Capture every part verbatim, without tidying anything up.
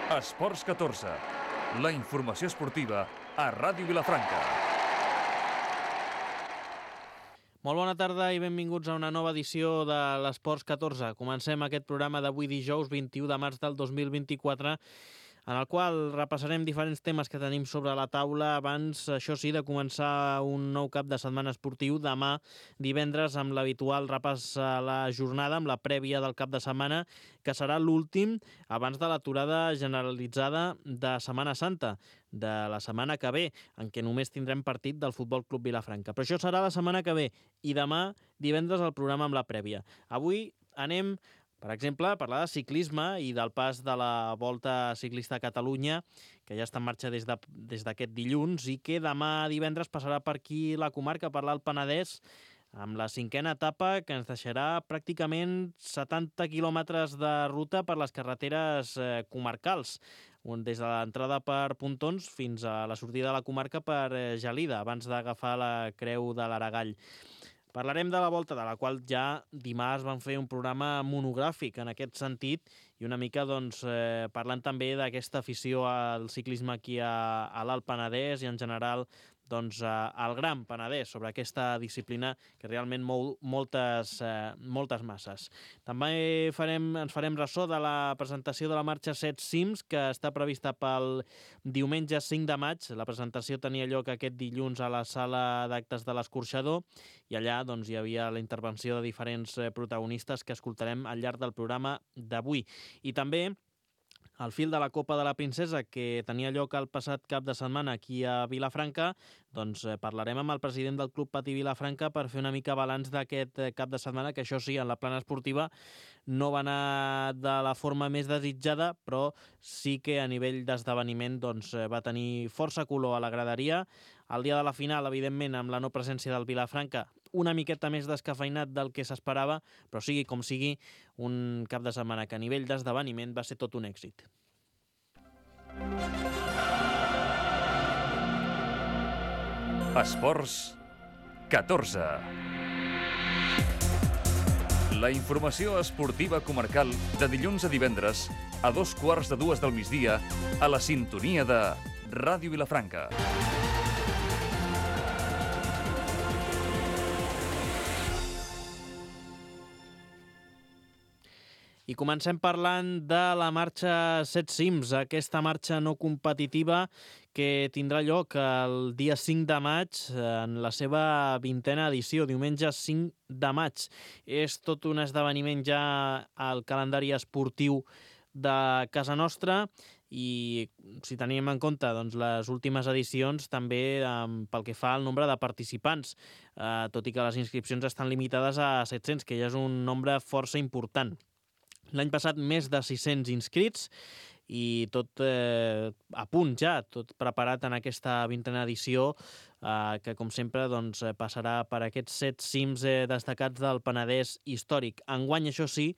Esports catorze, la informació esportiva a Ràdio Vilafranca. Molt bona tarda i benvinguts a una nova edició de l'Esports catorze. Comencem aquest programa d'avui dijous vint-i-u de març del dos mil vint-i-quatre, en el qual repassarem diferents temes que tenim sobre la taula abans, això sí, de començar un nou cap de setmana esportiu demà divendres amb l'habitual repàs a la jornada, amb la prèvia del cap de setmana, que serà l'últim abans de l'aturada generalitzada de Setmana Santa, de la setmana que ve, en què només tindrem partit del Futbol Club Vilafranca. Però això serà la setmana que ve i demà divendres el programa amb la prèvia. Avui anem, per exemple, a parlar de ciclisme i del pas de la Volta Ciclista a Catalunya, que ja està en marxa des de, des d'aquest dilluns i que demà divendres passarà per aquí la comarca, per l'Alt Penedès, amb la cinquena etapa que ens deixarà pràcticament setanta quilòmetres de ruta per les carreteres eh, comarcals, on des de l'entrada per Pontons fins a la sortida de la comarca per eh, Gelida, abans d'agafar la Creu de l'Aragall. Parlarem de la Volta, de la qual ja dimarts van fer un programa monogràfic en aquest sentit i una mica doncs, eh, parlant també d'aquesta afició al ciclisme aquí a, a l'Alt Penedès i en general doncs, al Gran Penedès, sobre aquesta disciplina que realment mou moltes, eh, moltes masses. També farem, ens farem ressò de la presentació de la marxa set cims, que està prevista pel diumenge cinc de maig. La presentació tenia lloc aquest dilluns a la sala d'actes de l'Escorxador i allà doncs, hi havia la intervenció de diferents protagonistes que escoltarem al llarg del programa d'avui. I també al fil de la Copa de la Princesa, que tenia lloc el passat cap de setmana aquí a Vilafranca, doncs parlarem amb el president del Club Patí Vilafranca per fer una mica balanç d'aquest cap de setmana, que això sí, en la plana esportiva no va anar de la forma més desitjada, però sí que a nivell d'esdeveniment doncs, va tenir força color a la graderia. El dia de la final, evidentment, amb la no presència del Vilafranca, una miqueta més descafeinat del que s'esperava, però sigui com sigui, un cap de setmana que a nivell d'esdeveniment va ser tot un èxit. Esports catorze. La informació esportiva comarcal de dilluns a divendres a dos quarts de dues del migdia a la sintonia de Ràdio Vilafranca. I comencem parlant de la marxa set cims, aquesta marxa no competitiva que tindrà lloc el dia cinc de maig en la seva vintena edició, diumenge cinc de maig. És tot un esdeveniment ja al calendari esportiu de casa nostra i si tenim en compte doncs, les últimes edicions també eh, pel que fa al nombre de participants, eh, tot i que les inscripcions estan limitades a set-cents, que ja és un nombre força important. L'any passat més de sis-cents inscrits i tot eh, a punt ja, tot preparat en aquesta vintena edició eh, que com sempre doncs, passarà per aquests set cims eh, destacats del Penedès històric. Enguany, això sí,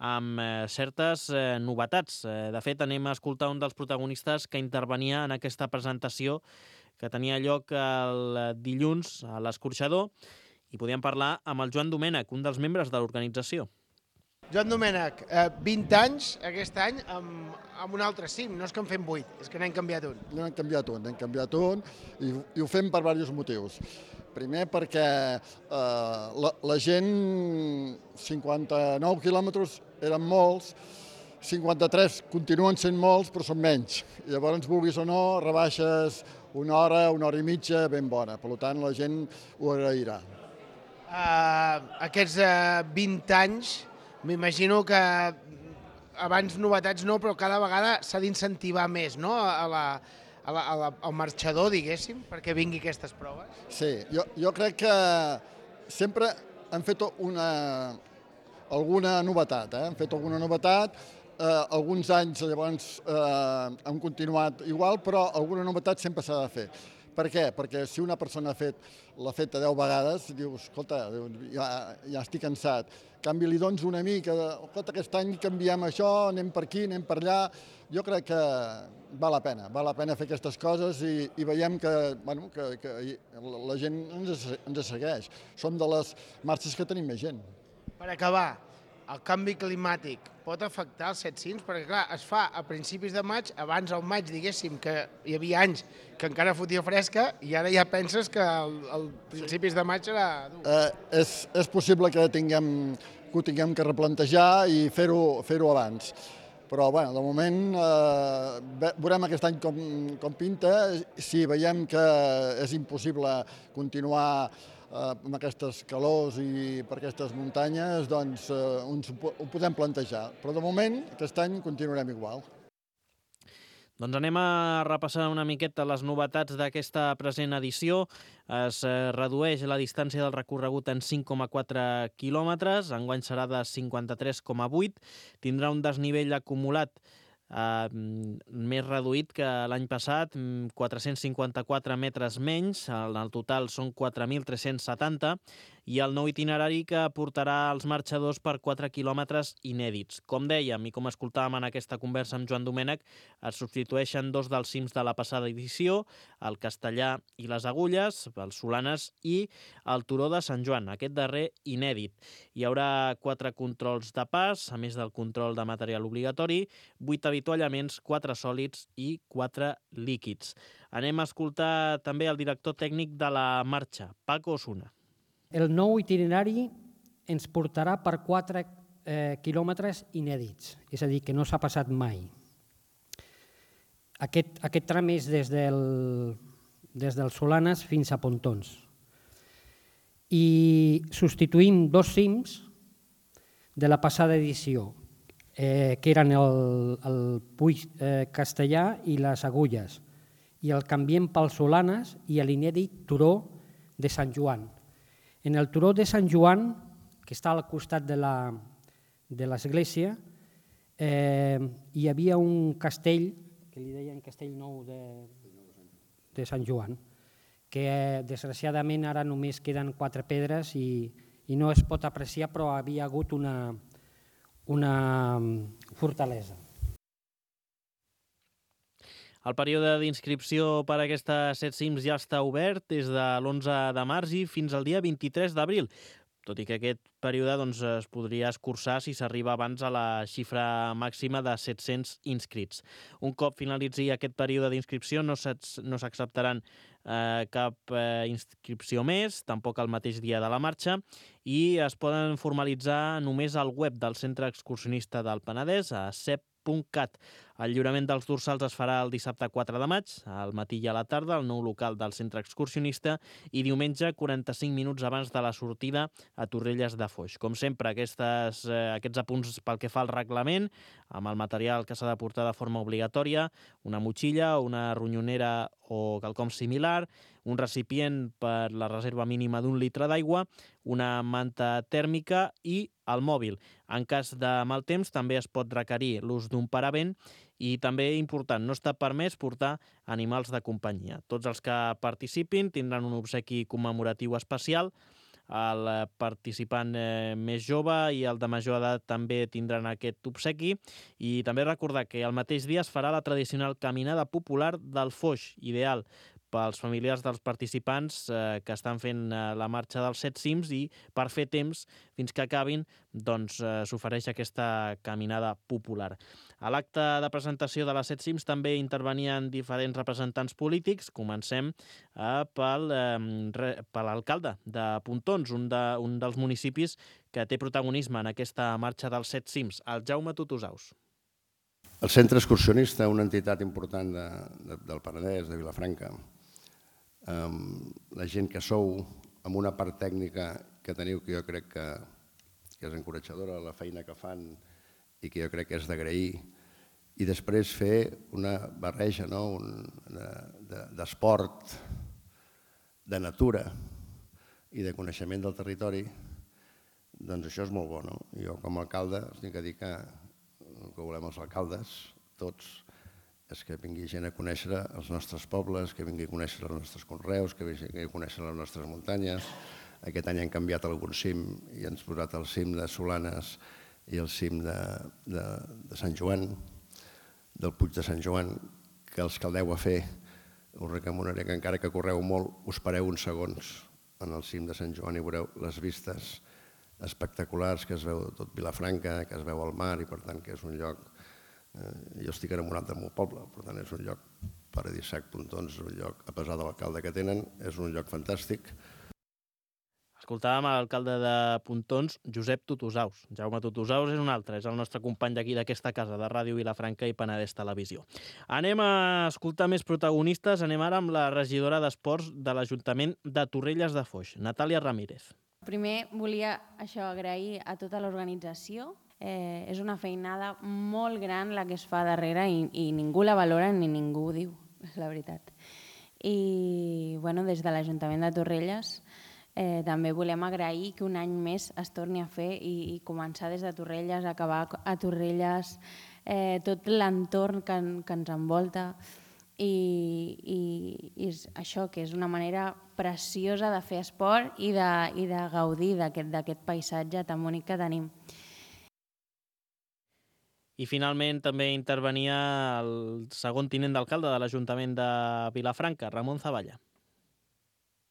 amb eh, certes eh, novetats. Eh, de fet, anem a escoltar un dels protagonistes que intervenia en aquesta presentació que tenia lloc el dilluns a l'Escorxador i podíem parlar amb el Joan Domènech, un dels membres de l'organització. Joan Domènech, eh, vint anys aquest any amb, amb un altre cim, no és que en fem vuit, és que n'hem canviat un. N'hem canviat un, n'hem canviat un i, i ho fem per diversos motius. Primer perquè eh, la, la gent, cinquanta-nou quilòmetres eren molts, cinquanta-tres continuen sent molts però són menys. I llavors, vulguis o no, rebaixes una hora, una hora i mitja ben bona. Per tant, la gent ho agrairà. Uh, aquests uh, vint anys, m'imagino que abans novetats no, però cada vegada s'ha d'incentivar més, no?, a la, a la, a la, al marxador, diguéssim, perquè vingui aquestes proves. Sí, jo, jo crec que sempre han fet una, alguna novetat, eh? han fet alguna novetat, eh, alguns anys llavors eh, han continuat igual, però alguna novetat sempre s'ha de fer. Per què? Perquè si una persona ha fet, l'ha fet a deu vegades, dius, escolta, ja, ja estic cansat. En canvi, li dones una mica, escolta, aquest any canviem això, anem per aquí, anem per allà. Jo crec que val la pena, val la pena fer aquestes coses i, i veiem que, bueno, que, que la gent ens, ens segueix. Som de les marxes que tenim més gent. Per acabar, el canvi climàtic pot afectar els set cims? Perquè, clar, es fa a principis de maig, abans al maig, diguéssim, que hi havia anys que encara fotia fresca, i ara ja penses que al principis de maig serà dur. Eh, és, és possible que, tinguem, que ho tinguem que replantejar i fer-ho fer-ho abans. Però, bueno, de moment, eh, veurem aquest any com, com pinta. Si veiem que és impossible continuar amb aquestes calors i per aquestes muntanyes, doncs ens ho podem plantejar. Però de moment, aquest any continuarem igual. Doncs anem a repassar una miqueta les novetats d'aquesta present edició. Es redueix la distància del recorregut en cinc coma quatre quilòmetres, enguany serà de cinquanta-tres coma vuit. Tindrà un desnivell acumulat Uh, més reduït que l'any passat, quatre-cents cinquanta-quatre metres menys, en el total són quatre mil tres-cents setanta, i el nou itinerari que portarà els marxadors per quatre quilòmetres inèdits. Com dèiem i com escoltàvem en aquesta conversa amb Joan Domènech, es substitueixen dos dels cims de la passada edició, el Castellà i les Agulles, els Solanes i el Turó de Sant Joan, aquest darrer inèdit. Hi haurà quatre controls de pas, a més del control de material obligatori, vuit avituallaments, quatre sòlids i quatre líquids. Anem a escoltar també el director tècnic de la marxa, Paco Osuna. El nou itinerari ens portarà per quatre eh, quilòmetres inèdits, és a dir, que no s'ha passat mai. Aquest, aquest tram és des del, des del Solanes fins a Pontons. I substituïm dos cims de la passada edició, eh, que eren el, el Puig eh, Castellà i les Agulles, i el canviem pel Solanes i l'inèdit Turó de Sant Joan. En el Turó de Sant Joan, que està al costat de l'església, eh, hi havia un castell, que li deien Castell Nou de, de Sant Joan, que eh, desgraciadament ara només queden quatre pedres i, i no es pot apreciar, però havia hagut una, una fortalesa. El període d'inscripció per a aquestes set cims ja està obert des de l'onze de març i fins al dia vint-i-tres d'abril, tot i que aquest període doncs, es podria escurçar si s'arriba abans a la xifra màxima de set-cents inscrits. Un cop finalitzi aquest període d'inscripció no s'acceptaran eh, cap eh, inscripció més, tampoc el mateix dia de la marxa, i es poden formalitzar només al web del Centre Excursionista del Penedès, a cep punt cat. El lliurament dels dorsals es farà el dissabte quatre de maig, al matí i a la tarda, al nou local del Centre Excursionista, i diumenge quaranta-cinc minuts abans de la sortida a Torrelles de Foix. Com sempre, aquestes, eh, aquests apunts pel que fa al reglament, amb el material que s'ha de portar de forma obligatòria, una motxilla, una ronyonera o quelcom similar, un recipient per la reserva mínima d'un litre d'aigua, una manta tèrmica i el mòbil. En cas de mal temps també es pot requerir l'ús d'un paravent i també, important, no està permès portar animals de companyia. Tots els que participin tindran un obsequi commemoratiu especial. El participant eh, més jove i el de major edat també tindran aquest obsequi, i també recordar que el mateix dia es farà la tradicional caminada popular del Foix, ideal pels familiars dels participants eh, que estan fent eh, la marxa dels set cims, i per fer temps fins que acabin doncs, eh, s'ofereix aquesta caminada popular. A l'acte de presentació de les set cims també intervenien diferents representants polítics. Comencem eh, pel, eh, per l'alcalde de Pontons, un, de, un dels municipis que té protagonisme en aquesta marxa dels set cims, el Jaume Tutusaus. El Centre Excursionista, una entitat important de, de, del Penedès, de Vilafranca, Um, la gent que sou, amb una part tècnica que teniu, que jo crec que, que és encoratjadora, la feina que fan i que jo crec que és d'agrair, i després fer una barreja, no? Un, d'esport, de natura i de coneixement del territori, doncs això és molt bo, no? Jo com a alcalde us tinc que dir que el que volem els alcaldes, tots, és que vingui gent a conèixer els nostres pobles, que vingui a conèixer els nostres conreus, que vingui a conèixer les nostres muntanyes. Aquest any hem canviat algun cim i ens posat el cim de Solanes i el cim de, de, de Sant Joan, del Puig de Sant Joan, que els que el deu a fer, us recomanaré que encara que correu molt, us pareu uns segons en el cim de Sant Joan i veureu les vistes espectaculars, que es veu tot Vilafranca, que es veu al mar i per tant que és un lloc... Jo estic enamorat del meu poble, per tant és un lloc paradisíac, Pontons, un lloc, a pesar de l'alcalde que tenen, és un lloc fantàstic. Escoltàvem l'alcalde de Pontons, Josep Tutusaus. Jaume Tutusaus és un altre, és el nostre company d'aquí d'aquesta casa, de Ràdio Vilafranca i Penedès Televisió. Anem a escoltar més protagonistes, anem ara amb la regidora d'Esports de l'Ajuntament de Torrelles de Foix, Natàlia Ramírez. Primer volia això agrair a tota l'organització. Eh, és una feinada molt gran la que es fa darrere i, i ningú la valora ni ningú ho diu, és la veritat. I bueno, des de l'Ajuntament de Torrelles eh, també volem agrair que un any més es torni a fer i, i començar des de Torrelles, acabar a Torrelles, eh, tot l'entorn que, que ens envolta. I, i, i és això, que és una manera preciosa de fer esport i de, i de gaudir d'aquest paisatge tan bonic que tenim. I finalment també intervenia el segon tinent d'alcalde de l'Ajuntament de Vilafranca, Ramon Zavalla.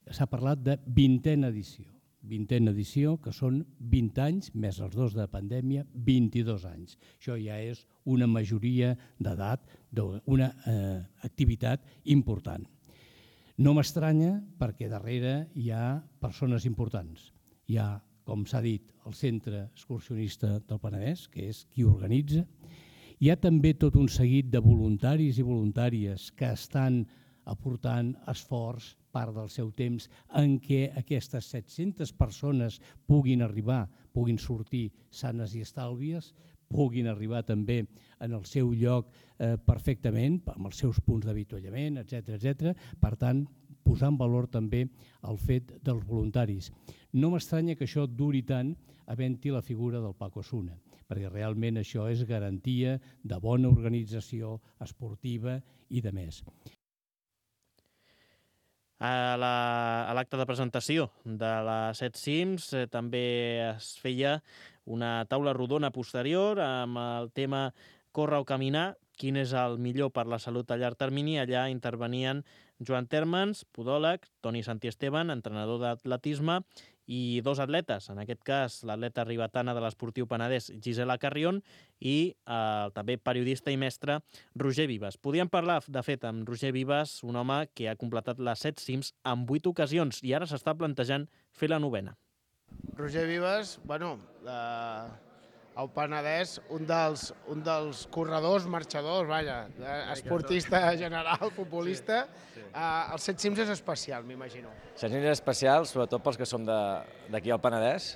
S'ha parlat de vintena edició. Vintena edició, que són vint anys, més els dos de pandèmia, vint-i-dos anys. Això ja és una majoria d'edat, una eh, activitat important. No m'estranya perquè darrere hi ha persones importants. Hi ha, com s'ha dit, el Centre Excursionista del Penedès, que és qui organitza. Hi ha també tot un seguit de voluntaris i voluntàries que estan aportant esforç, part del seu temps, en què aquestes set-centes persones puguin arribar, puguin sortir sanes i estàlvies, puguin arribar també en el seu lloc eh, perfectament, amb els seus punts d'avituallament, etcètera, etcètera. Per tant, posar en valor també el fet dels voluntaris. No m'estranya que això duri tant havent-hi la figura del Paco Osuna, perquè realment això és garantia de bona organització esportiva i de més. A l'acte de presentació de les set cims eh, també es feia una taula rodona posterior amb el tema Córrer o caminar, quin és el millor per la salut a llarg termini. Allà intervenien Joan Térmens, podòleg, Toni Santiesteban, entrenador d'atletisme, i dos atletes, en aquest cas l'atleta ribetana de l'Esportiu Penedès, Gisela Carrion, i eh, també periodista i mestre Roger Vives. Podíem parlar, de fet, amb Roger Vives, un home que ha completat les set cims en vuit ocasions i ara s'està plantejant fer la novena. Roger Vives, bueno, eh, el Penedès, un dels, un dels corredors, marxadors, vaja, esportista general, futbolista. Sí, sí. Eh, els set cims és especial, m'imagino. set cims és especial, sobretot pels que som d'aquí al Penedès,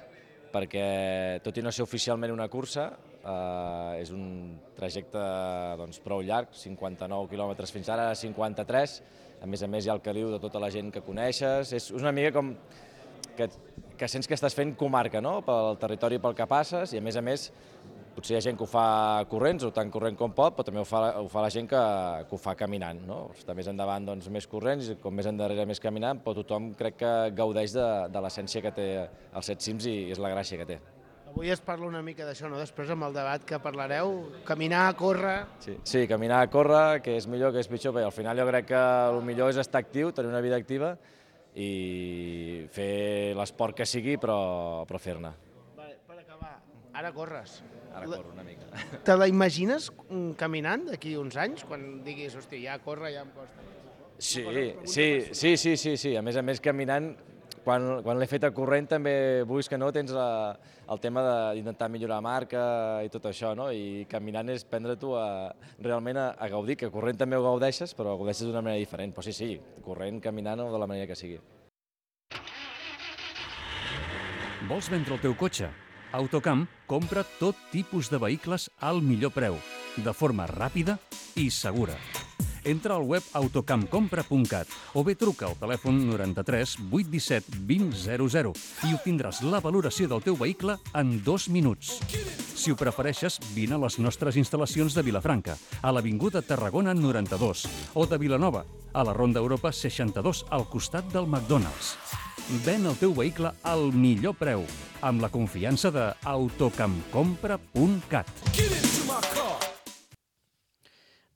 perquè tot i no ser oficialment una cursa, eh, és un trajecte doncs, prou llarg, cinquanta-nou quilòmetres fins ara, cinquanta-tres. A més a més hi ha el caliu de tota la gent que coneixes. És una mica com que, que sents que estàs fent comarca, no?, pel territori pel que passes, i a més a més potser hi ha gent que ho fa corrents o tan corrent com pot, però també ho fa, ho fa la gent que, que ho fa caminant, no? Està més endavant doncs, més corrents i com més endarrere més caminant, però tothom crec que gaudeix de, de l'essència que té els set cims i és la gràcia que té. Avui es parla una mica d'això, no? Després amb el debat que parlareu, caminar, córrer... Sí, sí, caminar, córrer, que és millor, que és pitjor, perquè al final jo crec que el millor és estar actiu, tenir una vida activa i fer l'esport que sigui, però, però fer-ne. Vale, per acabar, ara corres. Ara corro una mica. Te la imagines caminant d'aquí uns anys, quan diguis, hòstia, ja corre, ja em costa? Sí, sí, sí, sí, sí, sí. A més a més, caminant, quan, quan l'he fet a corrent també, vulguis que no, tens la, el tema d'intentar millorar marca i tot això, no? I caminant és prendre-t'ho realment a, a gaudir, que corrent també ho gaudeixes, però ho gaudeixes d'una manera diferent. Però sí, sí, corrent, caminant o de la manera que sigui. Vols vendre el teu cotxe? Autocamp compra tot tipus de vehicles al millor preu, de forma ràpida i segura. Entra al web autocampcompra punt cat o bé truca al telèfon noranta-tres vuit disset vint zero zero i obtindràs la valoració del teu vehicle en dos minuts. Si ho prefereixes, vine a les nostres instal·lacions de Vilafranca, a l'Avinguda Tarragona noranta-dos, o de Vilanova, a la Ronda Europa seixanta-dos, al costat del McDonald's. Ven el teu vehicle al millor preu, amb la confiança de autocampcompra punt cat.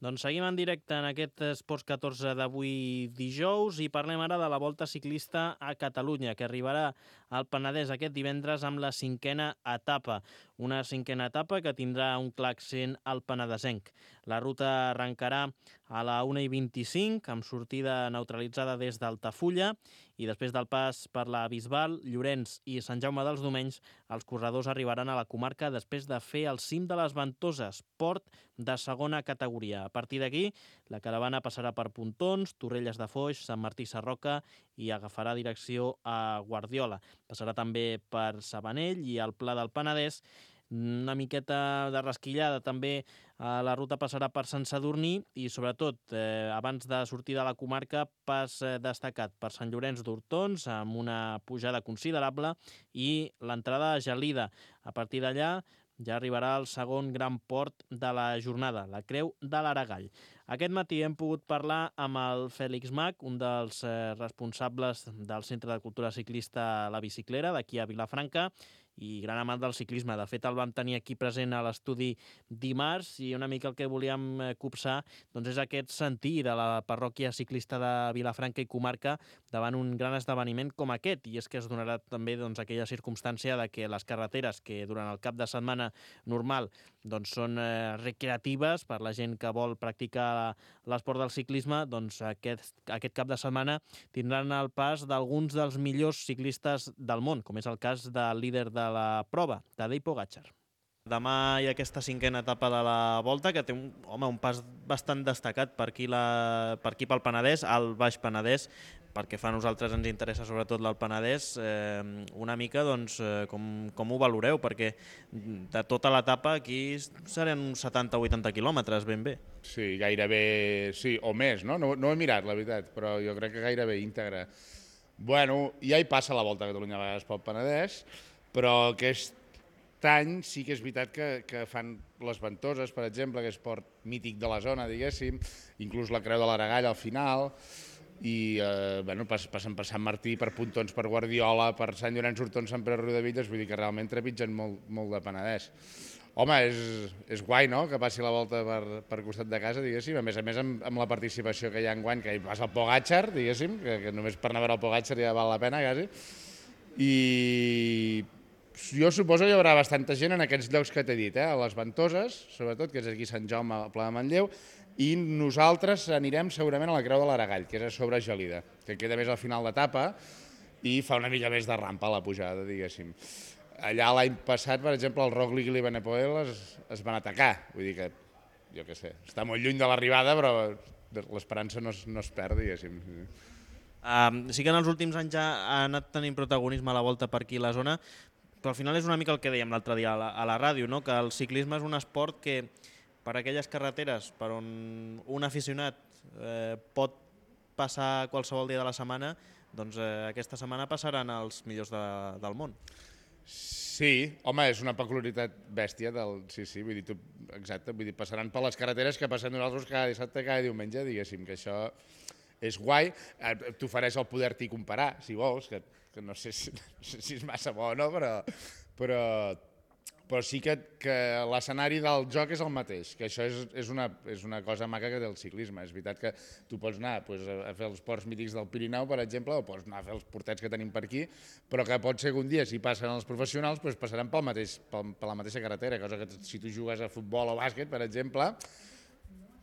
Doncs seguim en directe en aquest Esports catorze d'avui dijous i parlem ara de la Volta Ciclista a Catalunya, que arribarà al Penedès aquest divendres amb la cinquena etapa. Una cinquena etapa que tindrà un clar accent al penedesenc. La ruta arrencarà a la una i vint-i-cinc, amb sortida neutralitzada des d'Altafulla, i després del pas per la Bisbal, Llorenç i Sant Jaume dels Domenys, els corredors arribaran a la comarca després de fer el cim de les Ventoses, port de segona categoria. A partir d'aquí, la caravana passarà per Pontons, Torrelles de Foix, Sant Martí Sarroca i agafarà direcció a Guardiola. Passarà també per Sabanell i el Pla del Penedès. Una miqueta de rasquillada també. La ruta passarà per Sant Sadurní i, sobretot, eh, abans de sortir de la comarca, pas eh, destacat per Sant Llorenç d'Hortons, amb una pujada considerable, i l'entrada a Gelida. A partir d'allà ja arribarà el segon gran port de la jornada, la Creu de l'Aragall. Aquest matí hem pogut parlar amb el Fèlix Mach, un dels eh, responsables del Centre de Cultura Ciclista La Biciclera, d'aquí a Vilafranca, i gran amant del ciclisme. De fet, el vam tenir aquí present a l'estudi dimarts i una mica el que volíem copsar doncs, és aquest sentir de la parròquia ciclista de Vilafranca i comarca davant un gran esdeveniment com aquest, i és que es donarà també doncs, aquella circumstància de que les carreteres que durant el cap de setmana normal doncs, són eh, recreatives per la gent que vol practicar l'esport del ciclisme, doncs aquest, aquest cap de setmana tindran el pas d'alguns dels millors ciclistes del món, com és el cas del líder de la prova, Tadej Pogačar. Demà hi ha aquesta cinquena etapa de la Volta, que té un, home, un pas bastant destacat per aquí, la, per aquí pel Penedès, al Baix Penedès, perquè fa a nosaltres ens interessa sobretot del Penedès, eh, una mica doncs, eh, com, com ho valoreu, perquè de tota l'etapa aquí seran uns setanta o vuitanta quilòmetres ben bé. Sí, gairebé, sí, o més, no? No, no he mirat, la veritat, però jo crec que gairebé íntegre. Bueno, ja hi passa la Volta a Catalunya a vegades pel Penedès, però aquest any sí que és veritat que, que fan les Ventoses, per exemple, que és port mític de la zona, diguéssim, inclús la Creu de l'Aragall al final, i eh, bueno, passen per Sant Martí, per Pontons, per Guardiola, per Sant Llorenç d'Hortons, Sant Pere Riudebitlles, vull dir que realment trepitgen molt, molt de Penedès. Home, és, és guai, no?, que passi la Volta per, per costat de casa, diguéssim, a més a més amb, amb la participació que hi ha enguany, que hi passa el Pogačar, diguéssim, que, que només per anar a veure el Pogačar ja val la pena, quasi, i jo suposo que hi haurà bastanta gent en aquests llocs que t'he dit, eh? A les Ventoses, sobretot, que és aquí Sant Jaume, al Pla de Manlleu, i nosaltres anirem segurament a la Creu de l'Aragall, que és a sobre Gelida, que queda més al final d'etapa i fa una mica més de rampa a la pujada, diguéssim. Allà l'any passat, per exemple, el Roglic i l'Evenepoel es, es van atacar, vull dir que, jo què sé, està molt lluny de l'arribada, però l'esperança no, es, no es perd, diguéssim. Um, sí que en els últims anys ja ha anat tenint protagonisme a la Volta per aquí a la zona, però al final és una mica el que dèiem l'altre dia a la, a la ràdio, no? Que el ciclisme és un esport que per aquelles carreteres per on un aficionat eh, pot passar qualsevol dia de la setmana, doncs eh, aquesta setmana passaran els millors de, del món. Sí, home, és una peculiaritat bèstia del... Sí, sí, vull dir, tu... exacte, vull dir, passaran per les carreteres que passem nosaltres cada dissabte, cada diumenge, diguéssim, que això és guai. T'ofereix el poder-t'hi comparar, si vols, que, que no, sé si, no sé si és massa bo o no, però, però, però sí que, que l'escenari del joc és el mateix, que això és, és, una, és una cosa maca que té el ciclisme. És veritat que tu pots anar pues, a fer els ports mítics del Pirineu, per exemple, o pots anar a fer els portets que tenim per aquí, però que pot ser que un dia, si passen els professionals, pues, passaran pel mateix, pel, per la mateixa carretera, cosa que si tu jugues a futbol o bàsquet, per exemple,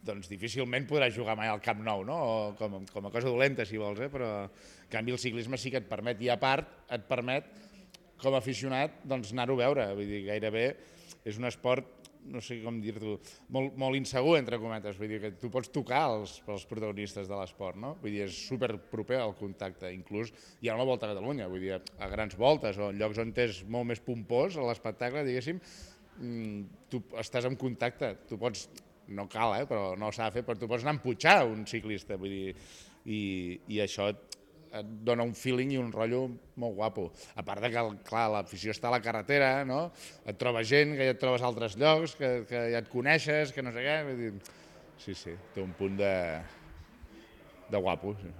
doncs difícilment podràs jugar mai al Camp Nou, no? O com, com a cosa dolenta, si vols, eh? Però en canvi el ciclisme sí que et permet, i a part et permet, com a aficionat, doncs anar-ho a veure. Vull dir, gairebé és un esport, no sé com dir-t'ho, molt, molt insegur, entre cometes. Vull dir que tu pots tocar els, els protagonistes de l'esport, no? Vull dir, és superproper al contacte. Inclús hi ha una volta a Catalunya, vull dir, a grans voltes o en llocs on és molt més pompós l'espectacle, diguéssim, tu estàs en contacte, tu pots... No cal, eh, però no s'ha de fer, però tu pots anar a empujar un ciclista, vull dir, i, i això et, et dona un feeling i un rotllo molt guapo. A part de que, clar, l'afició està a la carretera, no? Et trobes gent, que ja et trobes a altres llocs, que, que ja et coneixes, que no sé què, vull dir... Sí, sí, té un punt de, de guapo. Sí.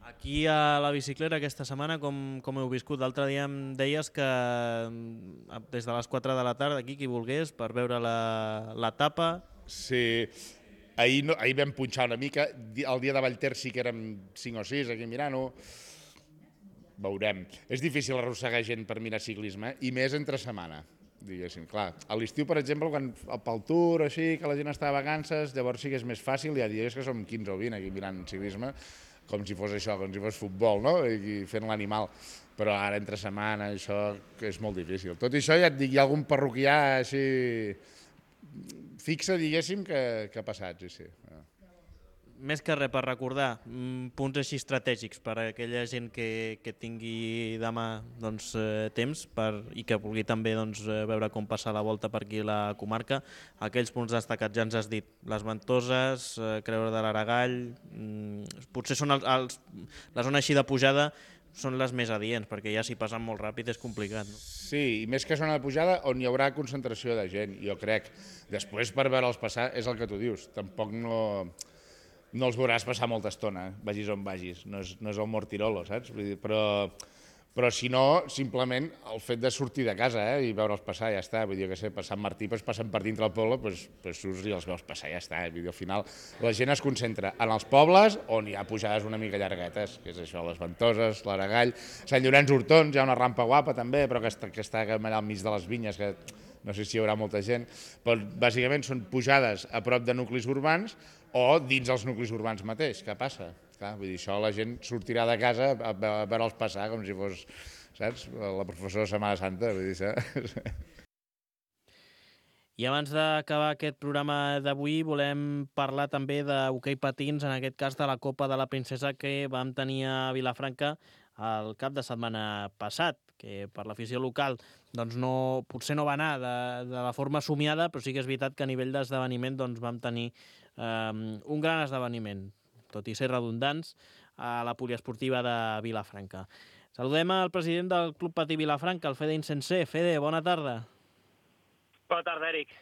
Aquí a la bicicleta aquesta setmana, com, com heu viscut? L'altre dia em deies que des de les quatre de la tarda aquí, qui volgués, per veure l'etapa. Sí, ahir, no, ahir vam punxar una mica, el dia de Vallter sí que érem cinc o sis aquí mirant-ho, veurem. És difícil arrossegar gent per mirar ciclisme, i més entre setmana, diguéssim. Clar, a l'estiu, per exemple, quan pel Tour, així, que la gent està de vacances, llavors sí que és més fàcil, hi ha dies que som quinze o vint aquí mirant ciclisme, com si fos això, com si fos futbol, no? I fent l'animal. Però ara, entre setmana, això és molt difícil. Tot i això, ja et dic, hi ha algun parroquià així fixe, diguéssim, que, que ha passat, sí, sí. Més que res per recordar, punts així estratègics per a aquella gent que, que tingui demà doncs, eh, temps per, i que vulgui també doncs, veure com passar la volta per aquí a la comarca. Aquells punts destacats ja ens has dit, les Ventoses, eh, Creure de l'Aragall, mm, potser són els, els, la zona així de pujada són les més adients, perquè ja si passen molt ràpid és complicat. No? Sí, i més que zona de pujada on hi haurà concentració de gent, jo crec. Després, per veure'ls passar, és el que tu dius, tampoc no... no els veuràs passar molta estona, vagis on vagis, no és, no és el Mortirolo, saps? Vull dir, però, però si no, simplement el fet de sortir de casa eh, i veure'ls passar, ja està. Vull dir, que sé, per Sant Martí pues, passen per dintre el poble, pues, pues surts i els veus passar, ja està. Vull dir, al final la gent es concentra en els pobles on hi ha pujades una mica llarguetes, que és això, les Ventoses, l'Aragall, Sant Llorenç Hortons, hi ha una rampa guapa també, però que està, que està allà al mig de les vinyes, que no sé si hi haurà molta gent, però bàsicament són pujades a prop de nuclis urbans o dins els nuclis urbans mateix. Què passa? Clar, vull dir, això la gent sortirà de casa a veure'ls passar com si fos, saps, la professora de Setmana Santa, vull dir, saps? I abans d'acabar aquest programa d'avui volem parlar també d'hoquei patins, en aquest cas de la Copa de la Princesa que vam tenir a Vilafranca el cap de setmana passat, que per l'afició local doncs no, potser no va anar de, de la forma somiada, però sí que és veritat que a nivell d'esdeveniment doncs, vam tenir eh, un gran esdeveniment, tot i ser redundants, a la poliesportiva de Vilafranca. Saludem al president del Club Patí Vilafranca, el Fede Insensé. Fede, bona tarda. Bona tarda, Eric.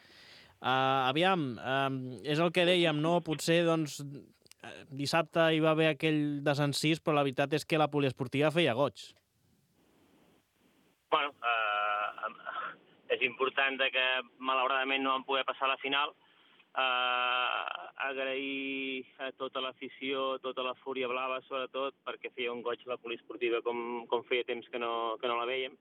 Uh, aviam, uh, és el que dèiem, no? Potser doncs, dissabte hi va haver aquell desencís, però la veritat és que la poliesportiva feia goig. Bueno, eh, és important que malauradament no vam poder passar a la final. Eh, agrair a tota l'afició, tota la Fúria Blava, sobretot, perquè feia un goig la poliesportiva com, com feia temps que no, que no la vèiem.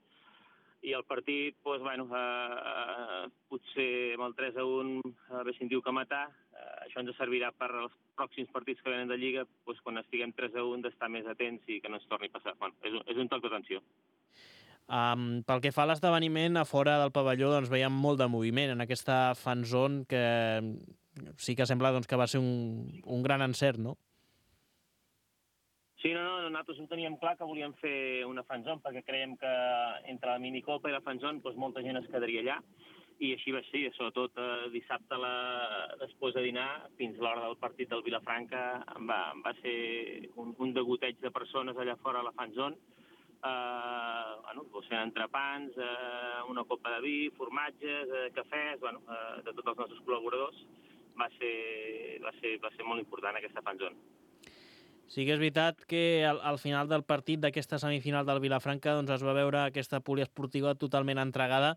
I el partit, doncs, bueno, eh, potser amb el tres a un haguéssim diu que matar. Eh, això ens servirà per als pròxims partits que venen de Lliga, doncs, quan estiguem tres a un, d'estar més atents i que no ens torni a passar. Bueno, és un, és un toc d'atenció. Um, pel que fa a l'esdeveniment, a fora del pavelló doncs, veiem molt de moviment en aquesta fan zone que sí que sembla doncs, que va ser un, un gran encert, no? Sí, no, no, nosaltres ho teníem clar que volíem fer una fan zone perquè creiem que entre la minicopa i la fan zone doncs, molta gent es quedaria allà i així va ser, sobretot eh, dissabte la, després de dinar, fins l'hora del partit del Vilafranca, va, va ser un, un degoteig de persones allà fora a la fan zone. Uh, bueno, doncs fent entrepans, uh, una copa de vi, formatges, uh, cafès, bueno, uh, de tots els nostres col·laboradors. Va ser, va ser, va ser molt important aquesta fanzona. Sí que és veritat que al, al final del partit d'aquesta semifinal del Vilafranca doncs, es va veure aquesta poliesportiva totalment entregada,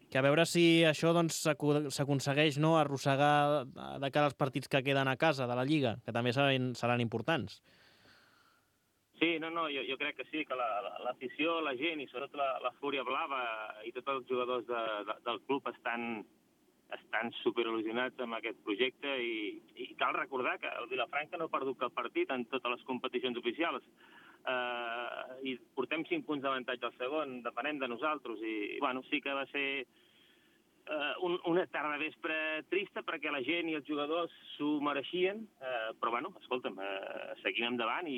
que a veure si això doncs, s'aconsegueix no, arrossegar de cara als partits que queden a casa de la Lliga, que també seran, seran importants. Sí, no, no, jo, jo crec que sí, que l'afició, la, la gent i sobretot la, la Fúria Blava i tots els jugadors de, de, del club estan, estan superil·lusionats amb aquest projecte i, i cal recordar que el Vilafranca no ha perdut cap partit en totes les competicions oficials uh, i portem cinc punts d'avantatge al segon, depenem de nosaltres i, i bueno, sí que va ser Uh, un, una tarda vespre trista perquè la gent i els jugadors s'ho mereixien, uh, però bueno, escolta'm, uh, seguim endavant i,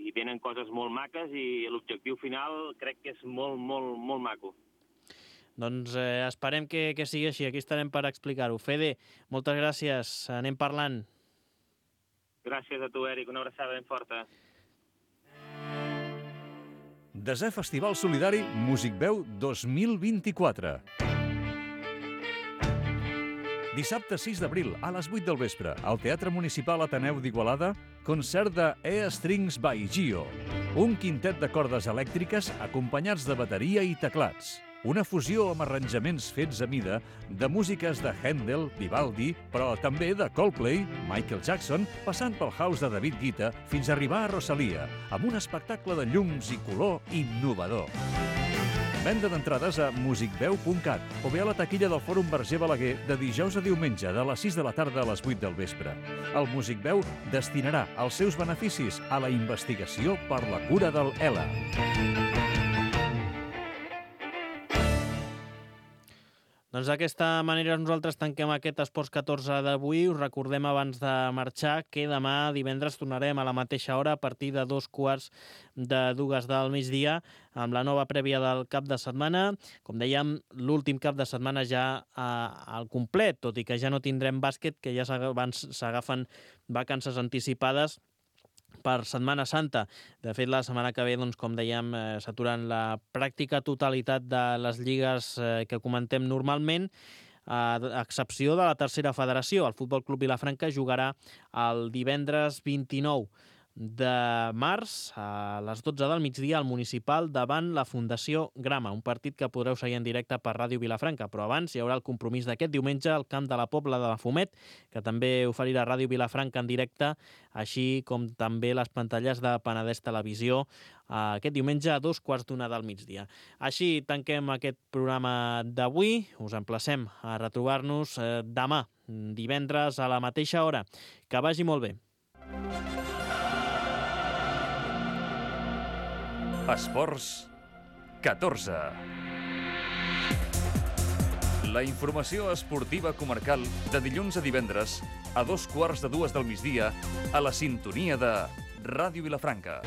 i venen coses molt maques i l'objectiu final crec que és molt, molt, molt maco. Doncs eh, esperem que, que sigui així, aquí estarem per explicar-ho. Fede, moltes gràcies, anem parlant. Gràcies a tu, Eric, una abraçada ben forta. Desè Festival Solidari Musicveu dos mil vint-i-quatre. Dissabte sis d'abril, a les vuit del vespre, al Teatre Municipal Ateneu d'Igualada, concert de E Strings by Gio, un quintet de cordes elèctriques acompanyats de bateria i teclats. una fusió amb arranjaments fets a mida de músiques de Handel, Vivaldi, però també de Coldplay, Michael Jackson, passant pel house de David Guetta fins a arribar a Rosalia, amb un espectacle de llums i color innovador. Venda d'entrades a musicveu punt cat o bé a la taquilla del Fòrum Verger Balaguer de dijous a diumenge de les sis de la tarda a les vuit del vespre. El Musicveu destinarà els seus beneficis a la investigació per la cura del E L A. Doncs d'aquesta manera nosaltres tanquem aquest Esports catorze d'avui. Us recordem abans de marxar que demà divendres tornarem a la mateixa hora a partir de dos quarts de dues del migdia amb la nova prèvia del cap de setmana. Com dèiem, l'últim cap de setmana ja eh, al complet, tot i que ja no tindrem bàsquet, que ja s'agafen vacances anticipades per Setmana Santa. De fet, la setmana que ve, doncs, com dèiem, eh, s'aturen la pràctica totalitat de les lligues eh, que comentem normalment, a excepció de la tercera federació. El Futbol Club Vilafranca jugarà el divendres vint-i-nou de març a les dotze del migdia al Municipal davant la Fundació Grama, un partit que podreu seguir en directe per Ràdio Vilafranca, però abans hi haurà el compromís d'aquest diumenge al camp de la Pobla de la Fumet, que també oferirà Ràdio Vilafranca en directe, així com també les pantalles de Penedès Televisió aquest diumenge a dos quarts d'una del migdia. Així tanquem aquest programa d'avui. Us emplacem a retrobar-nos demà, divendres a la mateixa hora. Que vagi molt bé. Esports catorze. La informació esportiva comarcal de dilluns a divendres a dos quarts de dues del migdia a la sintonia de Ràdio Vilafranca.